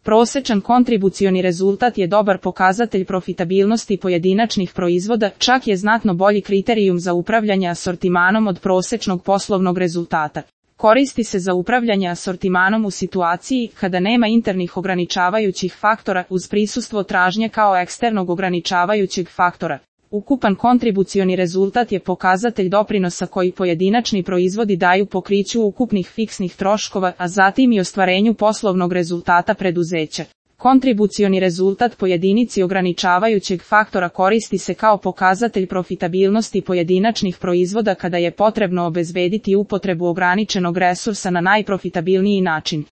Prosečan kontribucioni rezultat je dobar pokazatelj profitabilnosti pojedinačnih proizvoda, čak je znatno bolji kriterijum za upravljanje asortimanom od prosečnog poslovnog rezultata. Koristi se za upravljanje asortimanom u situaciji kada nema internih ograničavajućih faktora uz prisustvo tražnje kao eksternog ograničavajućeg faktora. Ukupan kontribucioni rezultat je pokazatelj doprinosa koji pojedinačni proizvodi daju pokriću ukupnih fiksnih troškova, a zatim i ostvarenju poslovnog rezultata preduzeća. Kontribucioni rezultat po jedinici ograničavajućeg faktora koristi se kao pokazatelj profitabilnosti pojedinačnih proizvoda kada je potrebno obezbediti upotrebu ograničenog resursa na najprofitabilniji način.